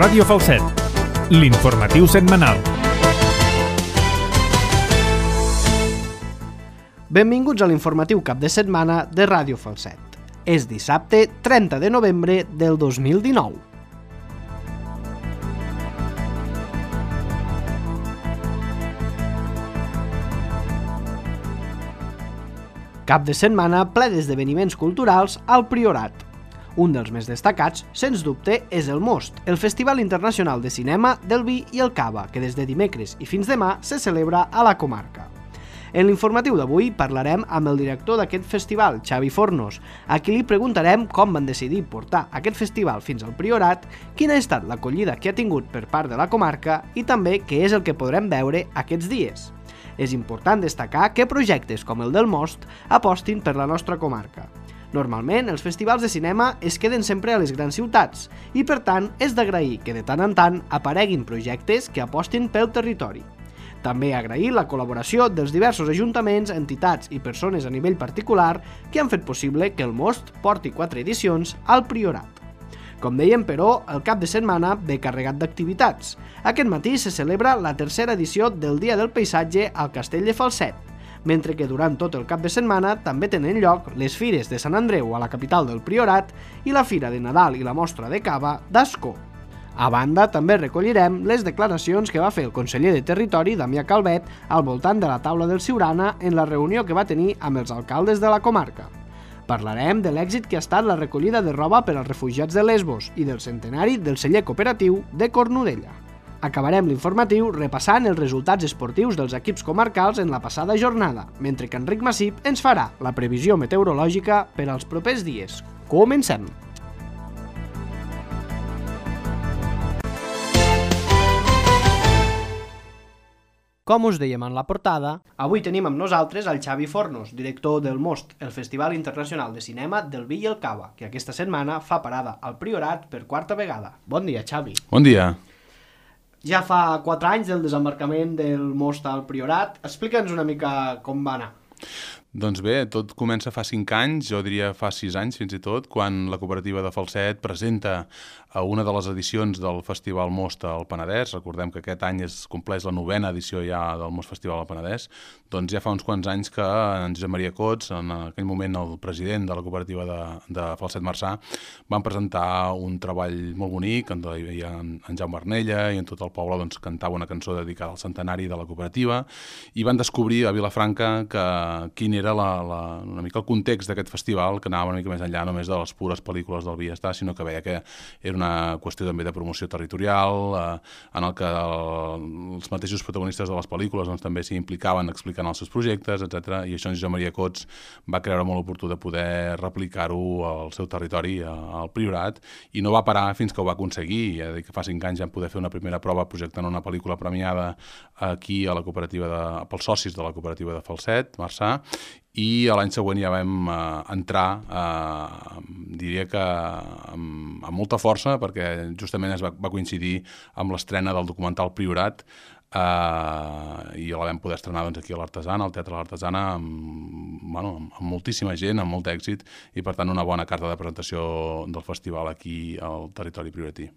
Ràdio Falset, l'informatiu setmanal. Benvinguts a l'informatiu cap de setmana de Ràdio Falset. És dissabte 30 de novembre del 2019. Cap de setmana ple d'esdeveniments culturals al Priorat. Un dels més destacats, sens dubte, és el Most, el Festival Internacional de Cinema del Vi i el Cava, que des de dimecres i fins demà se celebra a la comarca. En l'informatiu d'avui parlarem amb el director d'aquest festival, Xavi Fornos, a qui li preguntarem com van decidir portar aquest festival fins al Priorat, quina ha estat l'acollida que ha tingut per part de la comarca i també què és el que podrem veure aquests dies. És important destacar que projectes com el del Most apostin per la nostra comarca. Normalment, els festivals de cinema es queden sempre a les grans ciutats i, per tant, és d'agrair que de tant en tant apareguin projectes que apostin pel territori. També agrair la col·laboració dels diversos ajuntaments, entitats i persones a nivell particular que han fet possible que el Most porti 4 edicions al Priorat. Com dèiem, però, el cap de setmana ve carregat d'activitats. Aquest matí se celebra la tercera edició del Dia del Paisatge al Castell de Falset, mentre que durant tot el cap de setmana també tenen lloc les fires de Sant Andreu a la capital del Priorat i la Fira de Nadal i la Mostra de Cava d'Ascó. A banda, també recollirem les declaracions que va fer el conseller de Territori, Damià Calvet, al voltant de la taula del Siurana en la reunió que va tenir amb els alcaldes de la comarca. Parlarem de l'èxit que ha estat la recollida de roba per als refugiats de Lesbos i del centenari del celler cooperatiu de Cornudella. Acabarem l'informatiu repassant els resultats esportius dels equips comarcals en la passada jornada, mentre que Enric Massip ens farà la previsió meteorològica per als propers dies. Comencem! Com us dèiem en la portada, avui tenim amb nosaltres el Xavi Fornos, director del Most, el Festival Internacional de Cinema del Vi i el Cava, que aquesta setmana fa parada al Priorat per 4a vegada. Bon dia, Xavi. Bon dia. Ja fa 4 anys del desembarcament del Most al Priorat. Explica'ns una mica com va anar. Doncs bé, tot comença fa 5 anys, jo diria fa 6 anys fins i tot, quan la cooperativa de Falset presenta a una de les edicions del Festival Most al Penedès. Recordem que aquest any es compleix la 9a edició ja del Most Festival al Penedès. Doncs ja fa uns quants anys que en Josep Maria Cots, en aquell moment el president de la cooperativa de Falset Marçà, van presentar un treball molt bonic, on hi havia en Jaume Arnella i en tot el poble doncs, cantava una cançó dedicada al centenari de la cooperativa i van descobrir a Vilafranca quin era una mica el context d'aquest festival, que anava una mica més enllà només de les pures pel·lícules del vi i està, sinó que veia que era una qüestió també de promoció territorial, en el que els mateixos protagonistes de les pel·lícules doncs, també s'hi implicaven explicant els seus projectes, etc. I això en Josep Maria Cots va creure molt oportú de poder replicar-ho al seu territori, al Priorat, i no va parar fins que ho va aconseguir. Ja dic que fa 5 anys ja vam poder fer una primera prova projectant una pel·lícula premiada aquí a la cooperativa pels socis de la cooperativa de Falset, Marçà, i l'any següent ja vam entrar, diria que amb molta força, perquè justament va coincidir amb l'estrena del documental Priorat, i la vam poder estrenar doncs, aquí a l'Artesana, al Teatre de l'Artesana, amb moltíssima gent, amb molt èxit, i per tant una bona carta de presentació del festival aquí al territori prioratí.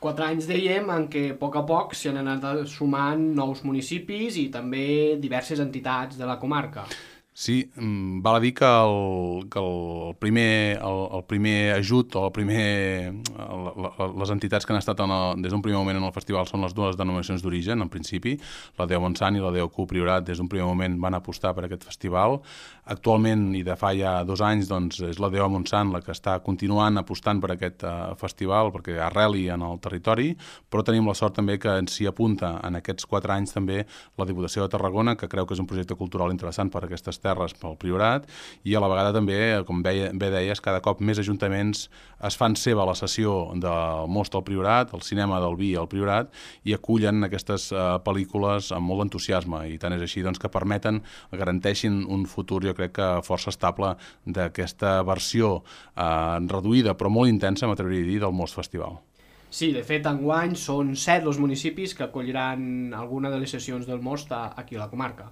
4 anys, dèiem, en què a poc s'hi han anat sumant nous municipis i també diverses entitats de la comarca. Sí, val a dir que el primer ajut o les entitats que han estat des d'un primer moment en el festival són les dues denominacions d'origen, en principi, la DEO Montsant i la DEO Q Priorat des d'un primer moment van apostar per aquest festival. Actualment, i de fa ja 2 anys, doncs, és la DEO Montsant la que està continuant apostant per aquest festival perquè arreli en el territori, però tenim la sort també que s'hi apunta en aquests 4 anys també la Diputació de Tarragona, que creu que és un projecte cultural interessant per aquestes terres pel Priorat, i a la vegada també, com bé deies, cada cop més ajuntaments es fan seva la sessió del Most al Priorat, el cinema del Vi al Priorat, i acullen aquestes pel·lícules amb molt entusiasme, i tant és així doncs, que garanteixin un futur, jo crec que força estable, d'aquesta versió reduïda però molt intensa, m'atreviria a dir, del Most Festival. Sí, de fet, enguany són 7 els municipis que acolliran alguna de les sessions del Most aquí a la comarca.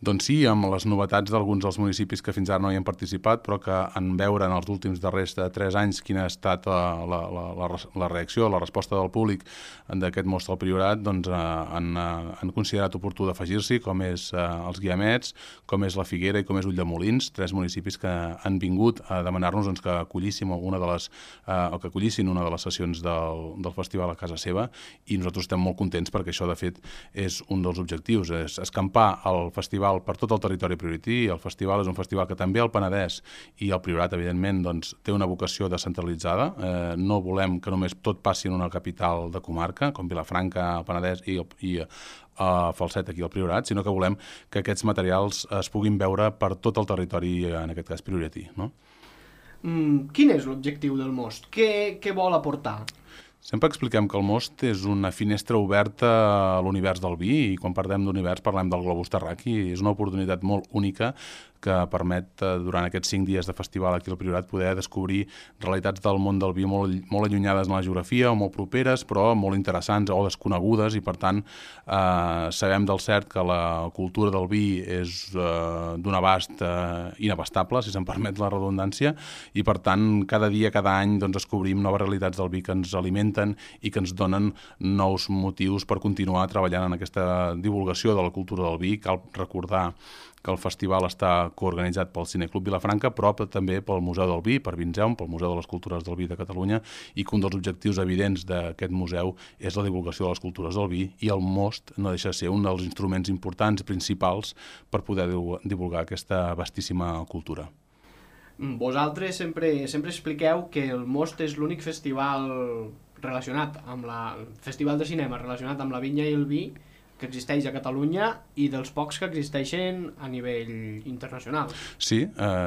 Doncs sí, amb les novetats d'alguns dels municipis que fins ara no hi han participat, però que en veure en els últims darrers 3 anys quina ha estat la reacció, la resposta del públic d'aquest most al Priorat, doncs han considerat oportú d'afegir-s'hi, com és els Guiamets, com és la Figuera i com és Ulldemolins, 3 municipis que han vingut a demanar-nos que acollissin una de les sessions del festival a casa seva, i nosaltres estem molt contents perquè això, de fet, és un dels objectius, és escampar el festival per tot el territori priorití. El festival és un festival que també el Penedès i el Priorat, evidentment, doncs, té una vocació descentralitzada. No volem que només tot passi en una capital de comarca, com Vilafranca, el Penedès i Falset aquí al Priorat, sinó que volem que aquests materials es puguin veure per tot el territori, en aquest cas priorití, no? Quin és l'objectiu del most? Què vol aportar? Sempre expliquem que el most és una finestra oberta a l'univers del vi, i quan parlem d'univers parlem del globus terraqui. És una oportunitat molt única que permet, durant aquests 5 dies de festival aquí al Priorat, poder descobrir realitats del món del vi molt allunyades en la geografia o molt properes, però molt interessants o desconegudes, i per tant sabem del cert que la cultura del vi és d'un abast inabastable, si se'n permet la redundància, i per tant cada dia, cada any descobrim noves realitats del vi que ens alimenten i que ens donen nous motius per continuar treballant en aquesta divulgació de la cultura del vi. Cal recordar que el festival està coorganitzat pel Cineclub Vilafranca, però també pel Museu del Vi, per Vinzeum, pel Museu de les Cultures del Vi de Catalunya, i que un dels objectius evidents d'aquest museu és la divulgació de les cultures del vi, i el most no deixa de ser un dels instruments importants i principals per poder divulgar aquesta vastíssima cultura. Vosaltres sempre expliqueu que el most és l'únic festival relacionat amb festival de cinema relacionat amb la vinya i el vi que existeix a Catalunya, i dels pocs que existeixen a nivell internacional. Sí,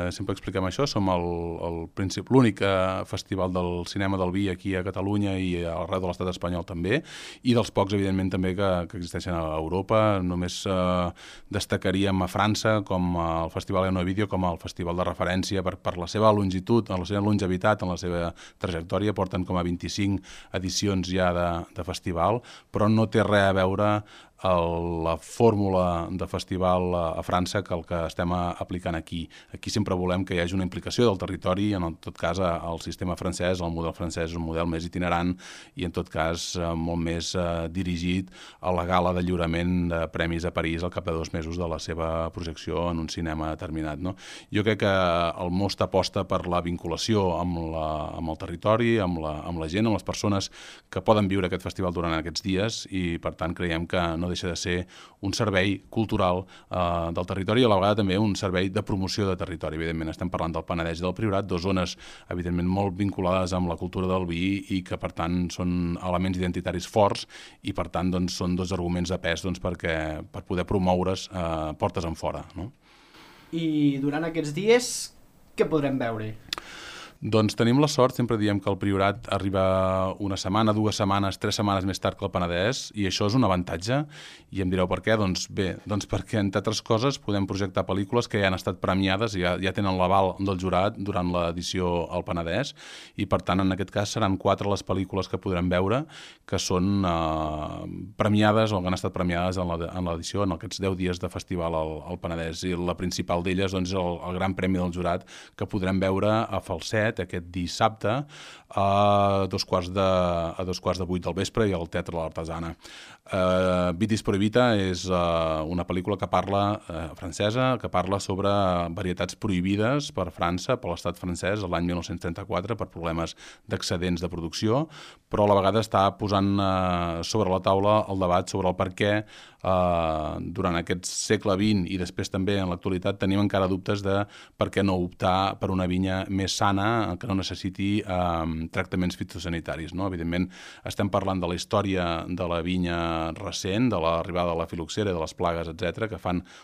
sempre expliquem això. Som l'únic festival del cinema del vi aquí a Catalunya i arreu de l'estat espanyol també, i dels pocs, evidentment, també que existeixen a Europa. Només destacaríem a França com el Festival Enovídeo, com el festival de referència per la seva longitud, la seva longevitat, en la seva trajectòria. Porten com a 25 edicions ja de festival, però no té res a veure la fórmula de festival a França que el que estem aplicant aquí. Aquí sempre volem que hi hagi una implicació del territori, en tot cas el sistema francès, el model francès és un model més itinerant i en tot cas molt més dirigit a la gala de lliurament de premis a París al cap de 2 mesos de la seva projecció en un cinema determinat, no? Jo crec que el most aposta per la vinculació amb el territori, amb la gent, amb les persones que poden viure aquest festival durant aquests dies, i per tant creiem que no deixa de ser un servei cultural del territori, i a la vegada també un servei de promoció de territori. Evidentment estem parlant del Penedès i del Priorat, 2 zones evidentment molt vinculades amb la cultura del vi i que per tant són elements identitaris forts, i per tant són 2 arguments de pes per poder promoure's portes enfora, no? I durant aquests dies què podrem veure? Doncs tenim la sort, sempre diem que el Priorat arriba una setmana, 2 setmanes, 3 setmanes més tard que el Penedès, i això és un avantatge, i em direu per què? Doncs bé, perquè entre altres coses podem projectar pel·lícules que ja han estat premiades i ja tenen l'aval del jurat durant l'edició al Penedès, i per tant en aquest cas seran 4 les pel·lícules que podrem veure que són premiades o que han estat premiades en l'edició, en aquests 10 dies de festival al Penedès, i la principal d'elles és el Gran Premi del Jurat, que podrem veure a Falset aquest dissabte a 7:45 del vespre i al Teatre de l'Artesana. Vitis Prohibita és una pel·lícula que parla francesa, que parla sobre varietats prohibides per França, per l'estat francès, l'any 1934, per problemes d'excedents de producció, però a la vegada està posant sobre la taula el debat sobre el per què durant aquest segle XX i després també en l'actualitat tenim encara dubtes de per què no optar per una vinya més sana, que no necessiti tractaments fitosanitaris, no? Evidentment estem parlant de la història de la vinya recent, de l'arribada de la filoxera, de les plagues, etc., que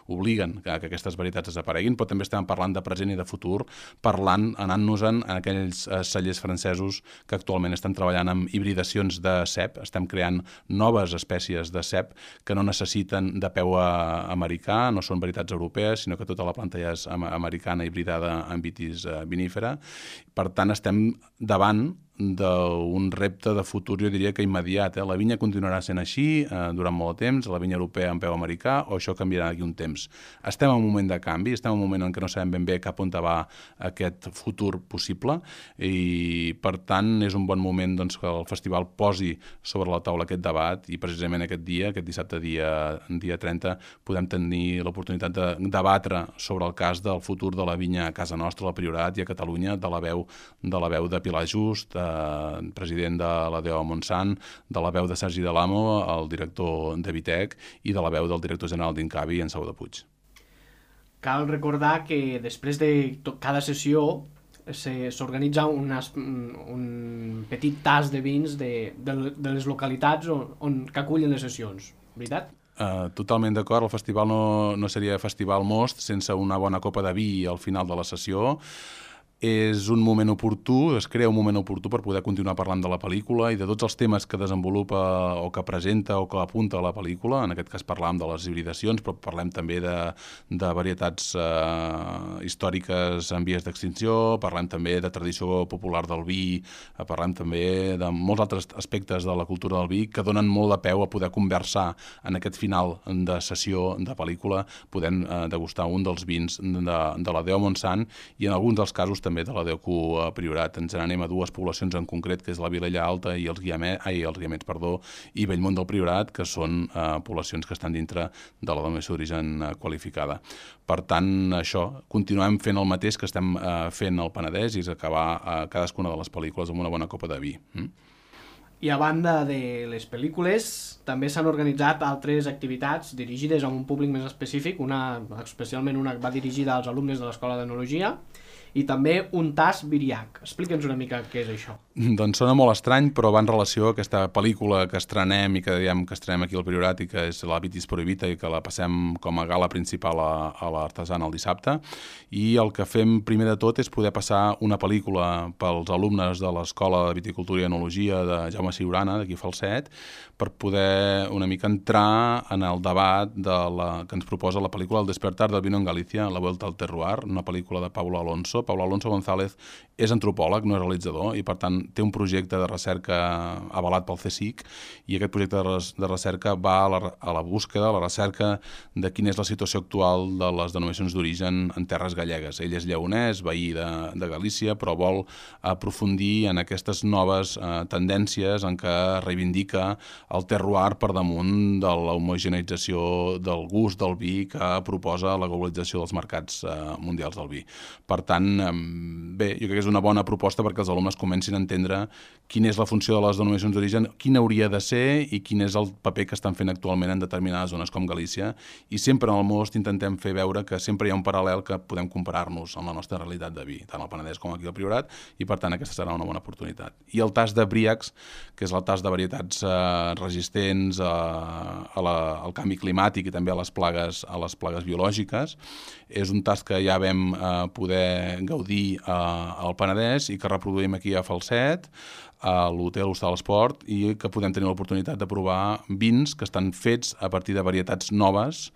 obliguen que aquestes varietats desapareguin, però també estem parlant de present i de futur, anant-nos-en en aquells cellers francesos que actualment estan treballant amb hibridacions de cep, estem creant noves espècies de cep que no necessiten de peu americà, no són varietats europees, sinó que tota la planta ja és americana hibridada amb vitis vinífera. Per tant, estem davant d'un repte de futur, jo diria que immediat. La vinya continuarà sent així durant molt de temps, la vinya europea en peu americà, o això canviarà d'aquí un temps. Estem en un moment de canvi, estem en un moment en què no sabem ben bé cap on va aquest futur possible i, per tant, és un bon moment doncs, que el festival posi sobre la taula aquest debat i precisament aquest dia, aquest dissabte dia 30, podem tenir l'oportunitat de debatre sobre el cas del futur de la vinya a casa nostra, al Priorat i a Catalunya, de la veu de Pilar Just, president de la DO Montsant, de la veu de Sergi Delamo, el director de Vitec, i de la veu del director general d'Incavi, en Sau de Puig. Cal recordar que després de cada sessió s'organitza un petit tas de vins de les localitats que acullen les sessions, veritat? Totalment d'acord, el festival no seria Festival Most sense una bona copa de vi al final de la sessió. És un moment oportú, es crea un moment oportú per poder continuar parlant de la pel·lícula i de tots els temes que desenvolupa o que presenta o que apunta a la pel·lícula. En aquest cas parlàvem de les hibridacions, però parlem també de varietats històriques en vies d'extinció, parlem també de tradició popular del vi, parlem també de molts altres aspectes de la cultura del vi que donen molt de peu a poder conversar en aquest final de sessió de pel·lícula, podent degustar un dels vins de la DO Montsant i en alguns dels casos també de la DOQ Priorat. Ens n'anem a dues poblacions en concret, que és la Vilella Alta i els Guiamets, i Bellmunt del Priorat, que són poblacions que estan dintre de la denominació d'origen qualificada. Per tant, això, continuem fent el mateix que estem fent al Penedès i és acabar cadascuna de les pel·lícules amb una bona copa de vi. I a banda de les pel·lícules, també s'han organitzat altres activitats dirigides a un públic més específic, especialment una va dirigida als alumnes de l'Escola d'Enologia, i també un tas Viriac. Explica'ns una mica què és això. Doncs sona molt estrany, però va en relació a aquesta pel·lícula que estrenem i que diem que estrenem aquí al Priorat i que és la Vitis Prohibita i que la passem com a gala principal a l'Artesana el dissabte. I el que fem primer de tot és poder passar una pel·lícula pels alumnes de l'Escola de Viticultura i Enologia de Jaume Ciurana, d'aquí Falset, per poder una mica entrar en el debat que ens proposa la pel·lícula El despertar del vino en Galícia, La vuelta al terroir, una pel·lícula de Pablo Alonso. Pablo Alonso González és antropòleg, no és realitzador, i per tant té un projecte de recerca avalat pel CSIC, i aquest projecte de recerca va a la búsqueda, a la recerca de quina és la situació actual de les denominacions d'origen en terres gallegues. Ell és lleonès, veí de Galícia, però vol aprofundir en aquestes noves tendències en què reivindica el terroir per damunt de l'homogeneïtzació del gust del vi que proposa la globalització dels mercats mundials del vi. Per tant, bé, jo crec que és una bona proposta perquè els alumnes comencin a entendre quina és la funció de les denominacions d'origen, quina hauria de ser i quin és el paper que estan fent actualment en determinades zones com Galícia. I sempre en el Most intentem fer veure que sempre hi ha un paral·lel que podem comparar-nos amb la nostra realitat de vi, tant al Penedès com aquí al Priorat, i per tant aquesta serà una bona oportunitat. I el tas de Briacs, que és el tas de varietats resistents al canvi climàtic i també a les plagues biològiques, és un tas que ja vam poder gaudir al Penedès i que reproduïm aquí a Falset, a l'Hotel Hostal Esport, i que podem tenir l'oportunitat de provar vins que estan fets a partir de varietats noves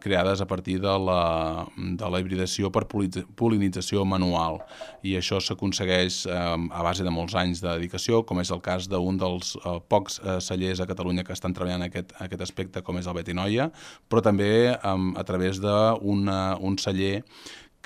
creades a partir de la hibridació per pol·linització manual. I això s'aconsegueix a base de molts anys de dedicació, com és el cas d'un dels pocs cellers a Catalunya que estan treballant aquest aspecte, com és el Betinoia, però també a través d'un celler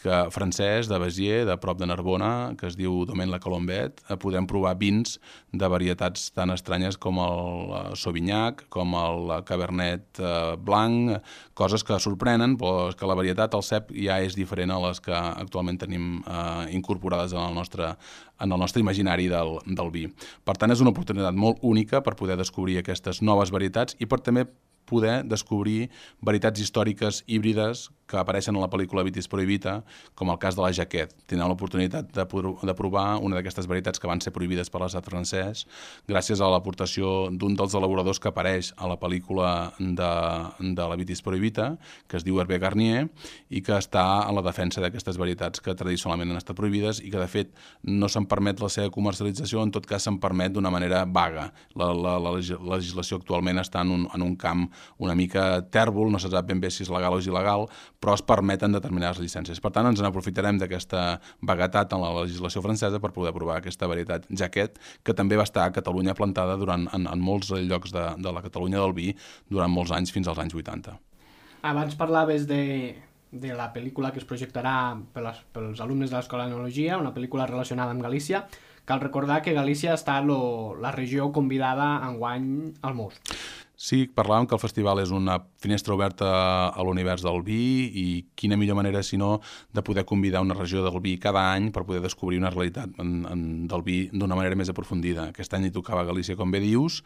francès de Béziers, de prop de Narbona, que es diu Domaine La Colombette. Podem provar vins de varietats tan estranyes com el Sauvignac, com el Cabernet Blanc, coses que sorprenen, però que la varietat, el cep, ja és diferent a les que actualment tenim incorporades en el nostre imaginari del vi. Per tant, és una oportunitat molt única per poder descobrir aquestes noves varietats i per també poder descobrir varietats històriques híbrides que apareixen a la pel·lícula Vitis Prohibita, com el cas de la Jaquet. Tindrem l'oportunitat de provar una d'aquestes varietats que van ser prohibides per l'estat francès gràcies a l'aportació d'un dels elaboradors que apareix a la pel·lícula de la Vitis Prohibita, que es diu Hervé Garnier, i que està en la defensa d'aquestes varietats que tradicionalment han estat prohibides i que, de fet, no se'n permet la seva comercialització, en tot cas se'n permet d'una manera vaga. La legislació actualment està en un camp una mica tèrbol, no se sap ben bé si és legal o és il·legal, però es permeten determinades llicències. Per tant, ens n'aprofitarem d'aquesta vaguetat en la legislació francesa per poder provar aquesta varietat jaquet, que també va estar a Catalunya plantada en molts llocs de la Catalunya del vi durant molts anys, fins als anys 80. Abans parlaves de la pel·lícula que es projectarà pels alumnes de l'Escola d'Enologia, una pel·lícula relacionada amb Galícia. Cal recordar que Galícia ha estat la regió convidada enguany al Most. Sí, parlàvem que el festival és una finestra oberta a l'univers del vi i quina millor manera, si no, de poder convidar una regió del vi cada any per poder descobrir una realitat del vi d'una manera més aprofundida. Aquest any hi tocava Galícia, com bé dius,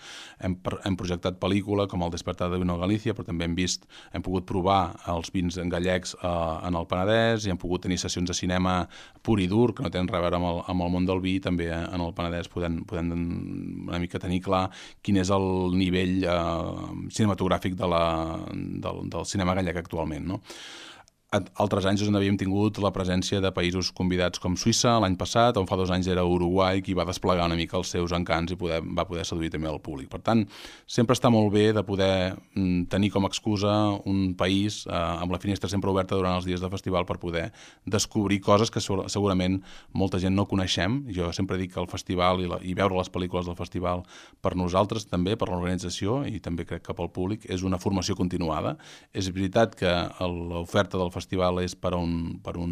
hem projectat pel·lícula com El despertar de Vino Galícia, però també hem pogut provar els vins gallecs en el Penedès i hem pogut tenir sessions de cinema pur i dur, que no tenen res a veure amb el món del vi, també en el Penedès podem una mica tenir clar quin és el nivell cinematogràfic del cinema gallec actualment, no? Altres anys on havíem tingut la presència de països convidats com Suïssa l'any passat, on fa 2 anys era Uruguai, qui va desplegar una mica els seus encants i va poder seduir també el públic. Per tant, sempre està molt bé de poder tenir com a excusa un país amb la finestra sempre oberta durant els dies de festival per poder descobrir coses que segurament molta gent no coneixem. Jo sempre dic que el festival i veure les pel·lícules del festival per nosaltres també, per l'organització i també crec que pel públic, és una formació continuada. És veritat que l'oferta del festival és per un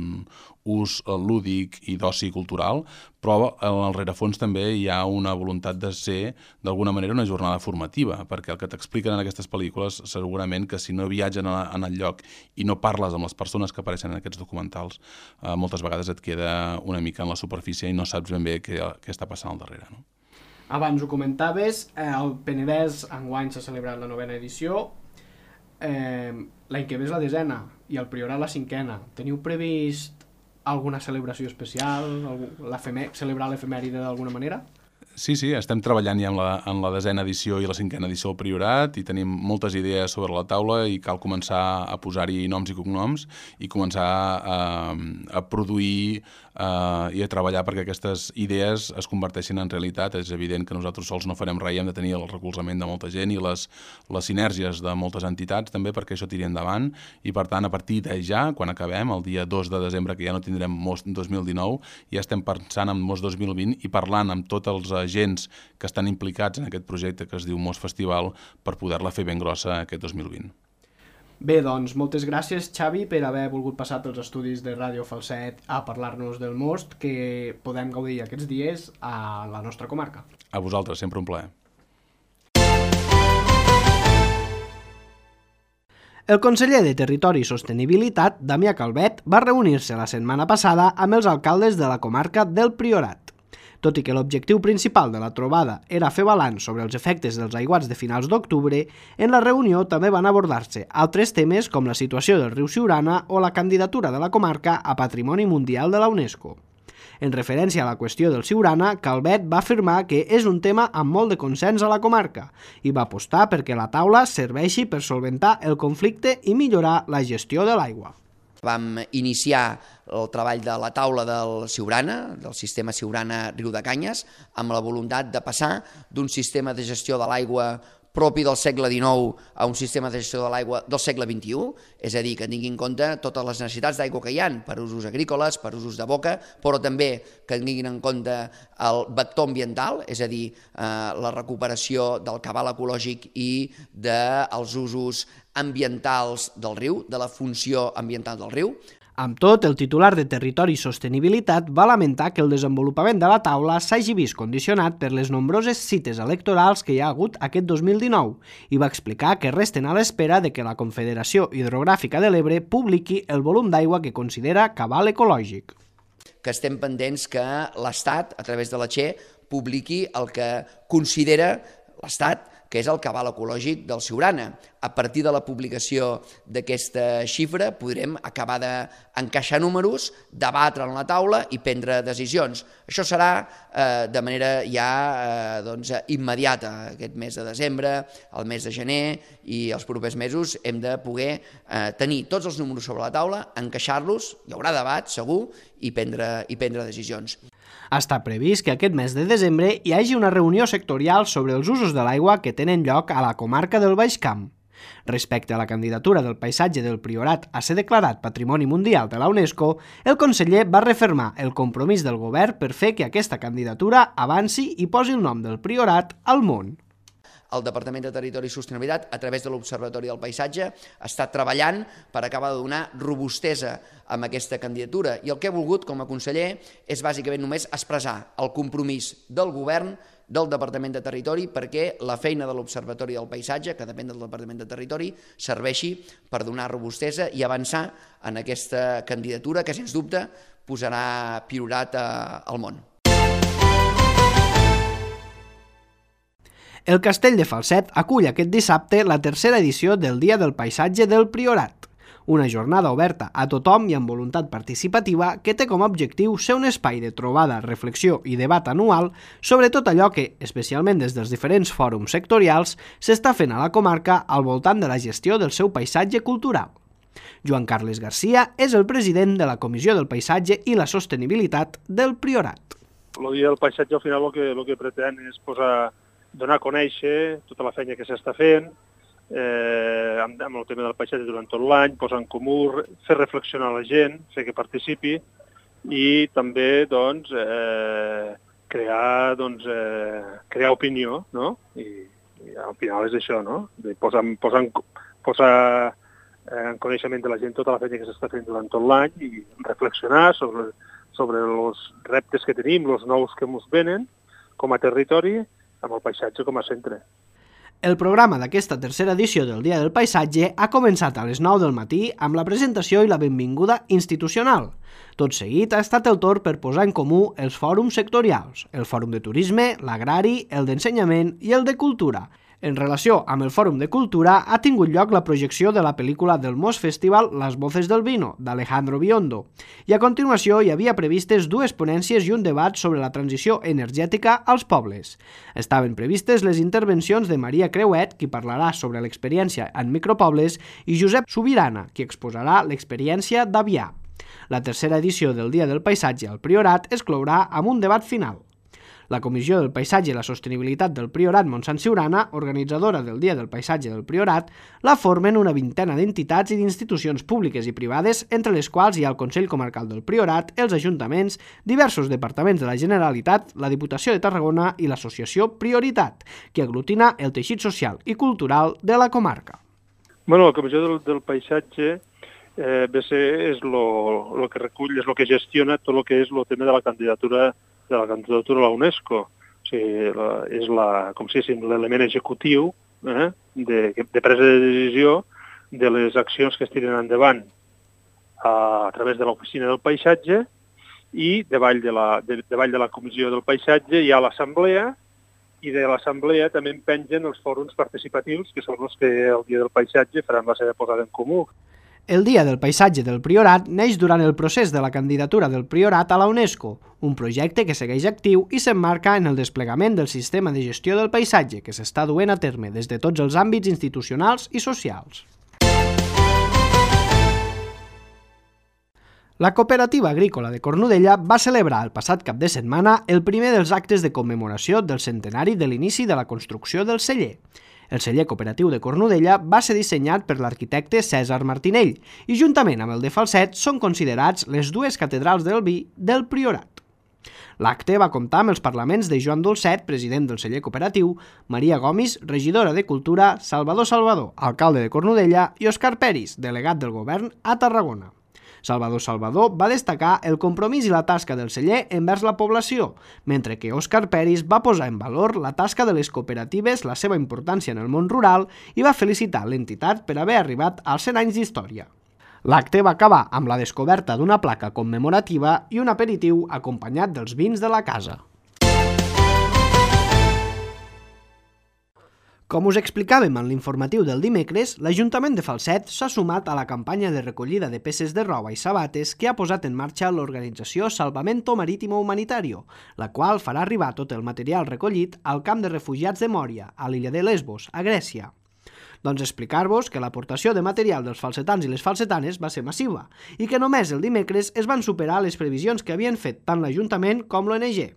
ús lúdic i d'oci cultural, però en el rerefons també hi ha una voluntat de ser, d'alguna manera, una jornada formativa, perquè el que t'expliquen en aquestes pel·lícules, segurament que si no viatgen en el lloc i no parles amb les persones que apareixen en aquests documentals, moltes vegades et queda una mica en la superfície i no saps ben bé què està passant al darrere, no? Abans ho comentaves, el Penedès enguany s'ha celebrat la 9ª edició, l'any que ve és la 10ª i el Priorat la 5ª. Teniu previst alguna celebració especial, celebrar l'efemèride d'alguna manera? Sí, estem treballant ja en la 10ª edició i la 5ª edició del Priorat i tenim moltes idees sobre la taula i cal començar a posar-hi noms i cognoms i començar a produir i a treballar perquè aquestes idees es converteixin en realitat. És evident que nosaltres sols no farem res i hem de tenir el recolzament de molta gent i les sinergies de moltes entitats també perquè això tiri endavant i per tant a partir de ja, quan acabem, el dia 2 de desembre que ja no tindrem Most 2019, ja estem pensant en Most 2020 i parlant amb tots els agents que estan implicats en aquest projecte que es diu Most Festival per poder-la fer ben grossa aquest 2020. Bé, doncs, moltes gràcies, Xavi, per haver volgut passar pels estudis de Ràdio Falset a parlar-nos del Most que podem gaudir aquests dies a la nostra comarca. A vosaltres, sempre un plaer. El conseller de Territori i Sostenibilitat, Damià Calvet, va reunir-se la setmana passada amb els alcaldes de la comarca del Priorat. Tot i que l'objectiu principal de la trobada era fer balanç sobre els efectes dels aiguats de finals d'octubre, en la reunió també van abordar-se altres temes com la situació del riu Siurana o la candidatura de la comarca a Patrimoni Mundial de la UNESCO. En referència a la qüestió del Siurana, Calvet va afirmar que és un tema amb molt de consens a la comarca i va apostar perquè la taula serveixi per solventar el conflicte i millorar la gestió de l'aigua. Vam iniciar el treball de la taula del Siurana, del sistema Siurana Riu de Canyes, amb la voluntat de passar d'un sistema de gestió de l'aigua propi del segle XIX a un sistema de gestió de l'aigua del segle XXI, és a dir, que tingui en compte totes les necessitats d'aigua que hi ha per usos agrícoles, per usos de boca, però també que tinguin en compte el vector ambiental, és a dir, la recuperació del cabal ecològic i dels usos ambientals del riu, de la funció ambiental del riu. Amb tot, el titular de Territori i Sostenibilitat va lamentar que el desenvolupament de la taula s'hagi vist condicionat per les nombroses cites electorals que hi ha hagut aquest 2019 i va explicar que resten a l'espera de que la Confederació Hidrogràfica de l'Ebre publiqui el volum d'aigua que considera cabal ecològic. Que estem pendents que l'Estat, a través de la Che, publiqui el que considera l'Estat que és el cabal ecològic del Siurana. A partir de la publicació d'aquesta xifra podrem acabar d'encaixar números, debatre en la taula i prendre decisions. Això serà de manera ja immediata. Aquest mes de desembre, el mes de gener i els propers mesos hem de poder tenir tots els números sobre la taula, encaixar-los, hi haurà debat segur i prendre decisions. Està previst que aquest mes de desembre hi hagi una reunió sectorial sobre els usos de l'aigua que tenen lloc a la comarca del Baix Camp. Respecte a la candidatura del paisatge del Priorat a ser declarat Patrimoni Mundial de la UNESCO, el conseller va refermar el compromís del govern per fer que aquesta candidatura avanci i posi el nom del Priorat al món. El Departament de Territori i Sostenibilitat, a través de l'Observatori del Paisatge, està treballant per acabar de donar robustesa a aquesta candidatura. I el que he volgut, com a conseller, és bàsicament només expressar el compromís del govern, del Departament de Territori, perquè la feina de l'Observatori del Paisatge, que depèn del Departament de Territori, serveixi per donar robustesa i avançar en aquesta candidatura que, sens dubte, posarà Priorat al món. El Castell de Falset acull aquest dissabte la tercera edició del Dia del Paisatge del Priorat, una jornada oberta a tothom i amb voluntat participativa que té com a objectiu ser un espai de trobada, reflexió i debat anual sobre tot allò que, especialment des dels diferents fòrums sectorials, s'està fent a la comarca al voltant de la gestió del seu paisatge cultural. Joan Carles Garcia és el president de la Comissió del Paisatge i la Sostenibilitat del Priorat. El Dia del Paisatge al final el que pretén és donar a conèixer tota la feina que s'està fent amb el tema del paisatge durant tot l'any, posar en comú, fer reflexionar la gent, fer que participi i també crear opinió, no? I al final és això, no? Posar en coneixement de la gent tota la feina que s'està fent durant tot l'any i reflexionar sobre els reptes que tenim, els nous que ens venen com a territori, amb el paisatge com a centre. El programa d'aquesta tercera edició del Dia del Paisatge ha començat a les 9 del matí amb la presentació i la benvinguda institucional. Tot seguit ha estat el torn per posar en comú els fòrums sectorials, el Fòrum de Turisme, l'Agrari, el d'Ensenyament i el de Cultura. En relació amb el Fòrum de Cultura ha tingut lloc la projecció de la pel·lícula del Mos Festival Las Voces del Vino, d'Alejandro Biondo, i a continuació hi havia previstes dues ponències i un debat sobre la transició energètica als pobles. Estaven previstes les intervencions de Maria Creuet, qui parlarà sobre l'experiència en micropobles, i Josep Subirana, qui exposarà l'experiència d'Avià. La tercera edició del Dia del Paisatge al Priorat es clourà amb un debat final. La Comissió del Paisatge i la Sostenibilitat del Priorat Montsant Siurana, organitzadora del Dia del Paisatge del Priorat, la formen una vintena d'entitats i d'institucions públiques i privades, entre les quals hi ha el Consell Comarcal del Priorat, els ajuntaments, diversos departaments de la Generalitat, la Diputació de Tarragona i l'associació Prioritat, que aglutina el teixit social i cultural de la comarca. La Comissió del Paisatge és el que recull, és el que gestiona tot el que és el tema de la candidatura a la UNESCO. O sigui, és com si diguéssim l'element executiu de presa de decisió de les accions que es tiren endavant a través de l'Oficina del Paisatge i davall de la Comissió del Paisatge hi ha l'Assemblea i de l'Assemblea també en pengen els fòrums participatius que són els que el Dia del Paisatge faran la seva posada en comú. El Dia del Paisatge del Priorat neix durant el procés de la candidatura del Priorat a la UNESCO, un projecte que segueix actiu i s'emmarca en el desplegament del sistema de gestió del paisatge que s'està duent a terme des de tots els àmbits institucionals i socials. La Cooperativa Agrícola de Cornudella va celebrar el passat cap de setmana el primer dels actes de commemoració del centenari de l'inici de la construcció del celler. El celler cooperatiu de Cornudella va ser dissenyat per l'arquitecte Cèsar Martinell i, juntament amb el de Falset, són considerats les dues catedrals del vi del Priorat. L'acte va comptar amb els parlaments de Joan Dolcet, president del celler cooperatiu, Maria Gomis, regidora de Cultura, Salvador Salvador, alcalde de Cornudella, i Òscar Peris, delegat del govern a Tarragona. Salvador va destacar el compromís i la tasca del celler envers la població, mentre que Òscar Peris va posar en valor la tasca de les cooperatives, la seva importància en el món rural i va felicitar l'entitat per haver arribat als 100 anys d'història. L'acte va acabar amb la descoberta d'una placa commemorativa i un aperitiu acompanyat dels vins de la casa. Com us explicàvem en l'informatiu del dimecres, l'Ajuntament de Falset s'ha sumat a la campanya de recollida de peces de roba i sabates que ha posat en marxa l'organització Salvamento Marítimo Humanitario, la qual farà arribar tot el material recollit al camp de refugiats de Mòria, a l'illa de Lesbos, a Grècia. Doncs explicar-vos que l'aportació de material dels falsetans i les falsetanes va ser massiva i que només el dimecres es van superar les previsions que havien fet tant l'Ajuntament com l'ONG.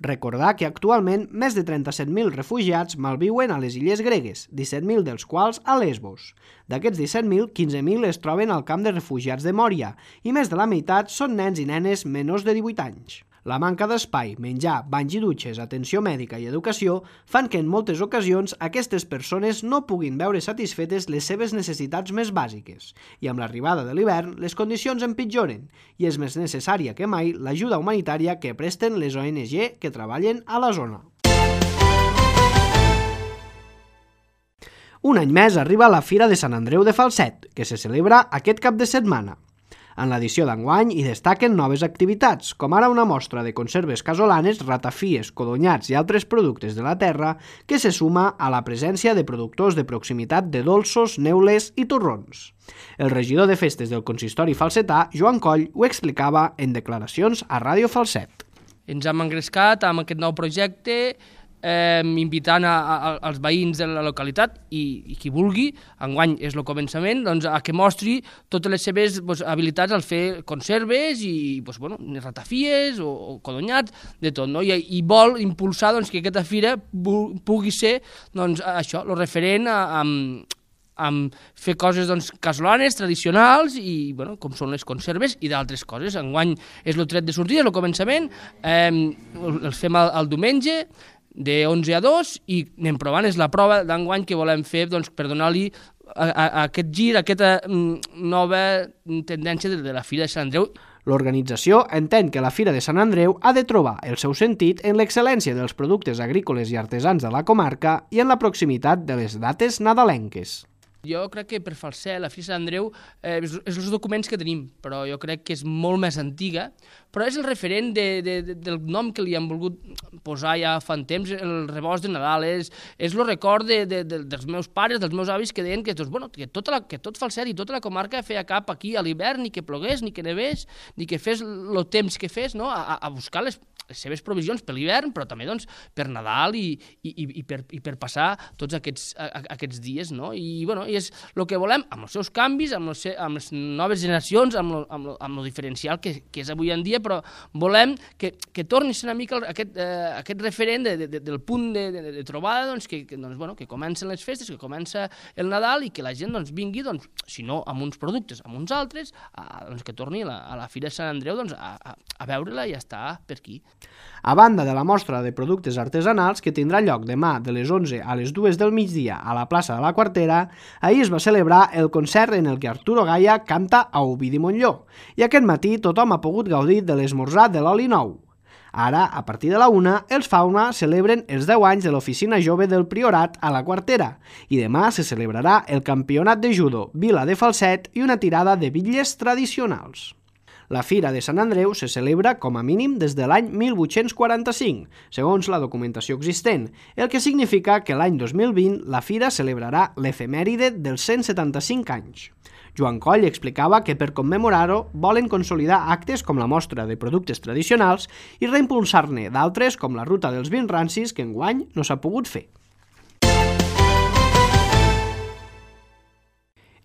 Recordar que actualment més de 37.000 refugiats malviuen a les illes gregues, 17.000 dels quals a Lesbos. D'aquests 17.000, 15.000 es troben al camp de refugiats de Mòria i més de la meitat són nens i nenes menors de 18 anys. La manca d'espai, menjar, banys i dutxes, atenció mèdica i educació fan que en moltes ocasions aquestes persones no puguin veure satisfetes les seves necessitats més bàsiques. I amb l'arribada de l'hivern, les condicions empitjoren i és més necessària que mai l'ajuda humanitària que presten les ONG que treballen a la zona. Un any més arriba la Fira de Sant Andreu de Falset, que se celebra aquest cap de setmana. En l'edició d'enguany hi destaquen noves activitats, com ara una mostra de conserves casolanes, ratafies, codonyats i altres productes de la terra que se suma a la presència de productors de proximitat de dolços, neules i torrons. El regidor de festes del consistori falsetà, Joan Coll, ho explicava en declaracions a Ràdio Falset. Ens hem engrescat amb aquest nou projecte invitant als veïns de la localitat i qui vulgui, enguany és el començament, doncs, a que mostri totes les seves habilitats al fer conserves i ratafies o codonyats, de tot, no? I vol impulsar que aquesta fira pugui ser això, el referent amb fer coses casolanes, tradicionals i com són les conserves i d'altres coses. Enguany és el tret de sortida, el començament, el fem el diumenge de 11 a 2 i anem provant, és la prova d'enguany que volem fer per donar-li aquest gir, aquesta nova tendència de la Fira de Sant Andreu. L'organització entén que la Fira de Sant Andreu ha de trobar el seu sentit en l'excel·lència dels productes agrícoles i artesans de la comarca i en la proximitat de les dates nadalenques. Jo crec que per Falset, la Fira de Sant Andreu, és els documents que tenim, però jo crec que és molt més antiga, però és el referent del nom que li han volgut posar ja fa un temps, el rebost de Nadal, és el record dels meus pares, dels meus avis, que deien que tot Falset i tota la comarca feia cap aquí a l'hivern, ni que plogués, ni que nevés, ni que fes el temps que fes, no? A buscar les seves provisions per l'hivern, però també per Nadal i per passar tots aquests dies, no? I és el que volem, amb els seus canvis, amb les noves generacions, amb el diferencial que és avui en dia, però volem que torni a ser una mica aquest referent del punt de trobada, que comencen les festes, que comença el Nadal i que la gent vingui, si no amb uns productes, amb uns altres, que torni a la Fira de Sant Andreu a veure-la i a estar per aquí. A banda de la mostra de productes artesanals que tindrà lloc demà de les 11 a les 2 del migdia a la plaça de la Quartera, ahir es va celebrar el concert en el que Arturo Gaya canta a Ovidi Montllor i aquest matí tothom ha pogut gaudir de l'esmorzar de l'oli nou. Ara, a partir de la 1, els Fauna celebren els 10 anys de l'Oficina Jove del Priorat a la Quartera i demà se celebrarà el Campionat de Judo Vila de Falset i una tirada de bitlles tradicionals. La Fira de Sant Andreu se celebra com a mínim des de l'any 1845, segons la documentació existent, el que significa que l'any 2020 la Fira celebrarà l'efemèride dels 175 anys. Joan Coll explicava que per commemorar-ho volen consolidar actes com la mostra de productes tradicionals i reimpulsar-ne d'altres com la ruta dels vins rancis que enguany no s'ha pogut fer.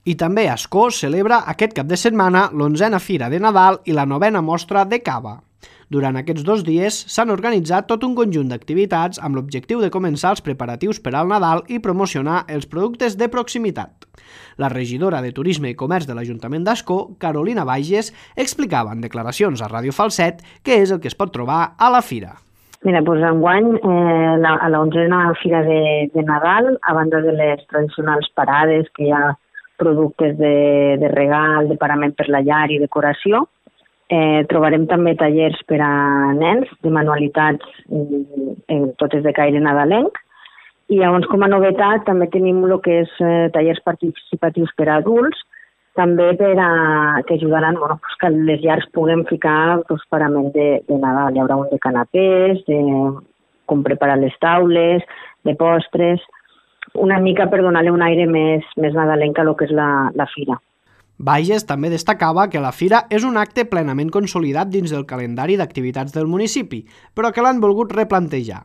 I també Ascó celebra aquest cap de setmana l'11a Fira de Nadal i la 9a Mostra de Cava. Durant aquests 2 dies s'han organitzat tot un conjunt d'activitats amb l'objectiu de començar els preparatius per al Nadal i promocionar els productes de proximitat. La regidora de Turisme i Comerç de l'Ajuntament d'Ascó, Carolina Bages, explicava en declaracions a Ràdio Falset què és el que es pot trobar a la fira. Mira, doncs enguany, a la 11a Fira de Nadal, a banda de les tradicionals parades que hi ha productes de regal, de parament per la llar i decoració. Trobarem també tallers per a nens, de manualitats, totes de caire nadalenc. I llavors, com a novetat, també tenim el que és tallers participatius per a adults, també que ajudaran que les llars puguem ficar parament de Nadal. Hi haurà un de canapés, com preparar les taules, de postres, una mica per donar-li un aire més nadalenc a lo que és la fira. Bages també destacava que la fira és un acte plenament consolidat dins del calendari d'activitats del municipi, però que l'han volgut replantejar.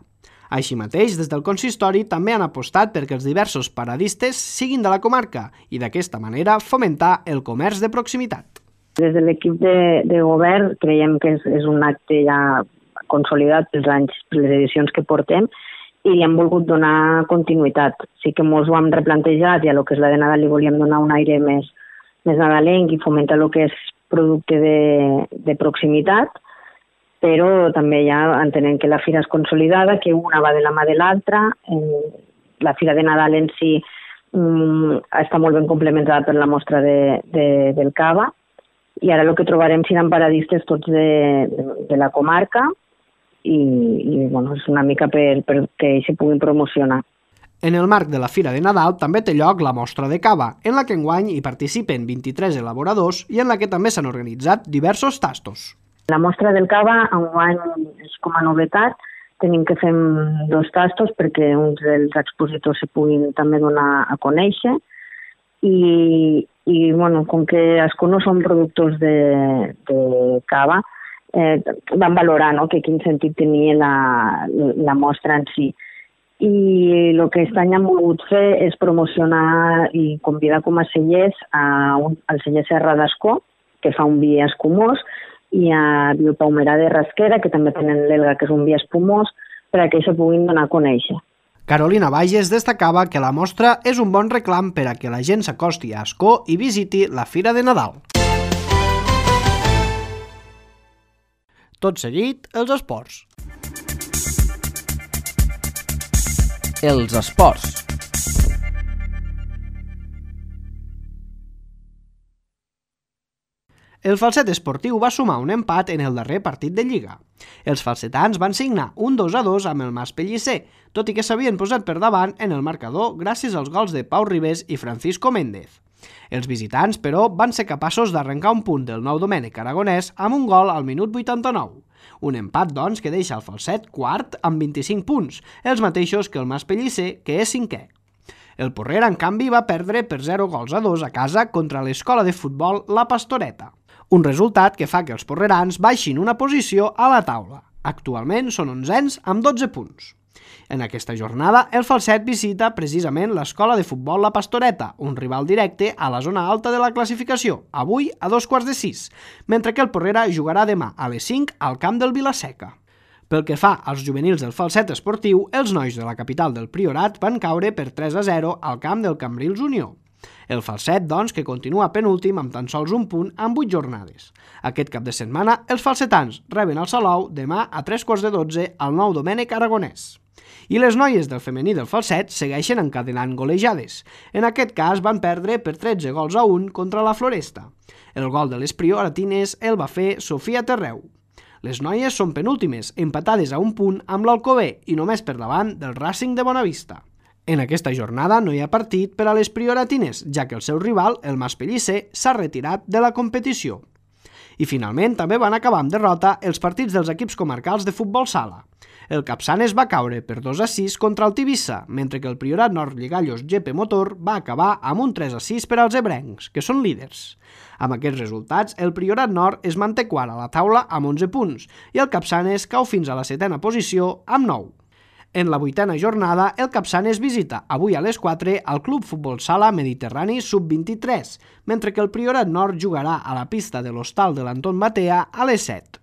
Així mateix, des del consistori també han apostat perquè els diversos paradistes siguin de la comarca i d'aquesta manera fomentar el comerç de proximitat. Des de l'equip de govern creiem que és un acte ja consolidat pels anys, per les edicions que portem, i li hem volgut donar continuïtat. Sí que ens ho hem replantejat i a lo que és la de Nadal li volíem donar un aire més nadalenc i fomentar el que és producte de proximitat, però també ja entenem que la fira és consolidada, que una va de la mà de l'altra. La fira de Nadal en si està molt ben complementada per la mostra del cava, i ara el que trobarem seran paradistes tots de la comarca i bueno, és una mica perquè ells se puguin promocionar. En el marc de la Fira de Nadal també té lloc la mostra de cava, en la que enguany hi participen 23 elaboradors i en la que també s'han organitzat diversos tastos. La mostra del cava enguany és com a novetat. Tenim que fer 2 tastos perquè uns dels expositors se puguin també donar a conèixer i bueno, com que els no som productors de cava, van valorar que quin sentit tenia la mostra en si. I el que aquest any hem volgut fer és promocionar i convidar com a cellers al celler Serra d'Ascó, que fa un vi espumós, i a Biopaumerà de Rasquera, que també tenen l'Elga, que és un vi espumós, per a que se puguin donar a conèixer. Carolina Bages destacava que la mostra és un bon reclam per a que la gent s'acosti a Ascó i visiti la Fira de Nadal. Tot seguit, els esports. Els esports. El Falset Esportiu va sumar un empat en el darrer partit de Lliga. Els falsetans van signar un 2-2 amb el Mas Pellicer, tot i que s'havien posat per davant en el marcador gràcies als gols de Pau Ribés i Francisco Méndez. Els visitants, però, van ser capaços d'arrencar un punt del Nou Domènec Aragonès amb un gol al minut 89. Un empat, doncs, que deixa el Falset quart amb 25 punts, els mateixos que el Mas Pellicer, que és cinquè. El Porrera, en canvi, va perdre per 0-2 a casa contra l'escola de futbol La Pastoreta. Un resultat que fa que els porrerans baixin una posició a la taula. Actualment són 11ens amb 12 punts. En aquesta jornada, el Falset visita precisament l'escola de futbol La Pastoreta, un rival directe a la zona alta de la classificació, avui a 2:45, mentre que el Porrera jugarà demà a les 5 al camp del Vilaseca. Pel que fa als juvenils del Falset Esportiu, els nois de la capital del Priorat van caure per 3-0 al camp del Cambrils Unió. El Falset, doncs, que continua penúltim amb tan sols un punt en 8 jornades. Aquest cap de setmana, els falsetans reben el Salou demà a 3:15 al Nou Domènec Aragonès. I les noies del femení del Falset segueixen encadenant golejades. En aquest cas van perdre per 13-1 contra la Floresta. El gol de les prioratines el va fer Sofia Terreu. Les noies són penúltimes, empatades a un punt amb l'Alcover i només per davant del Racing de Bonavista. En aquesta jornada no hi ha partit per a les prioratines, ja que el seu rival, el Mas Pellicer, s'ha retirat de la competició. I finalment també van acabar amb derrota els partits dels equips comarcals de futbol sala. El Capçanes va caure per 2-6 contra el Tivissa, mentre que el Priorat Nord Lligallos GP Motor va acabar amb un 3-6 per als ebrencs, que són líders. Amb aquests resultats, el Priorat Nord es manté quart a la taula amb 11 punts i el Capçanes cau fins a la 7a posició amb 9. En la 8a jornada, el Capçanes visita avui a les 4 al Club Futbol Sala Mediterrani Sub-23, mentre que el Priorat Nord jugarà a la pista de l'Hostal de l'Anton Batea a les 7.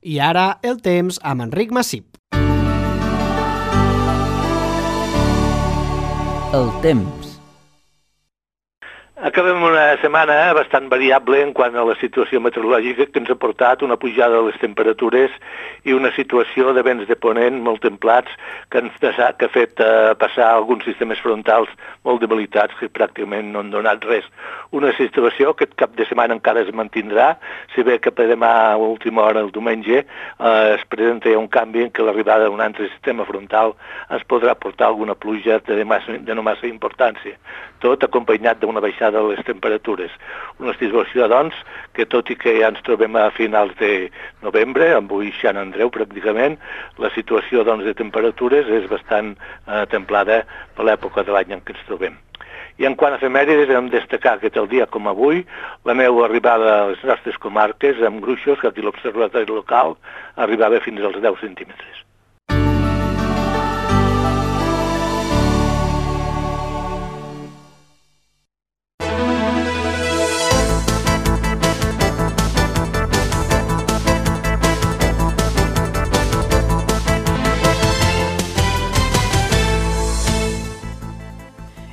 I ara el temps amb Enric Massip. El temps. Acabem una setmana bastant variable en quant a la situació meteorològica que ens ha portat una pujada de les temperatures i una situació de vents de ponent molt templats que ha fet passar alguns sistemes frontals molt debilitats que pràcticament no han donat res. Una situació que aquest cap de setmana encara es mantindrà, si bé que per demà a última hora, el diumenge, es presenta un canvi en què l'arribada d'un altre sistema frontal ens podrà portar alguna pluja de no massa importància, tot acompanyat d'una baixada de les temperatures. Una situació, doncs, que tot i que ja ens trobem a finals de novembre, avui Sant Andreu pràcticament, la situació doncs, de temperatures és bastant templada per l'època de l'any en què ens trobem. I en quant a efemèrides, hem de destacar que el dia com avui, la neu arribava a les nostres comarques amb gruixos, que aquí l'observatori local arribava fins als 10 centímetres.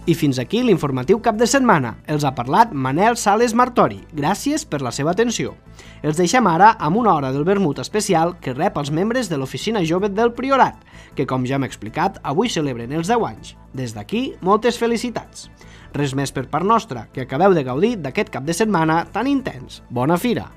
I fins aquí l'informatiu cap de setmana. Els ha parlat Manel Sales Martori. Gràcies per la seva atenció. Els deixem ara amb una hora del vermut especial que rep els membres de l'Oficina Jove del Priorat, que, com ja hem explicat, avui celebren els 10 anys. Des d'aquí, moltes felicitats. Res més per part nostra, que acabeu de gaudir d'aquest cap de setmana tan intens. Bona fira!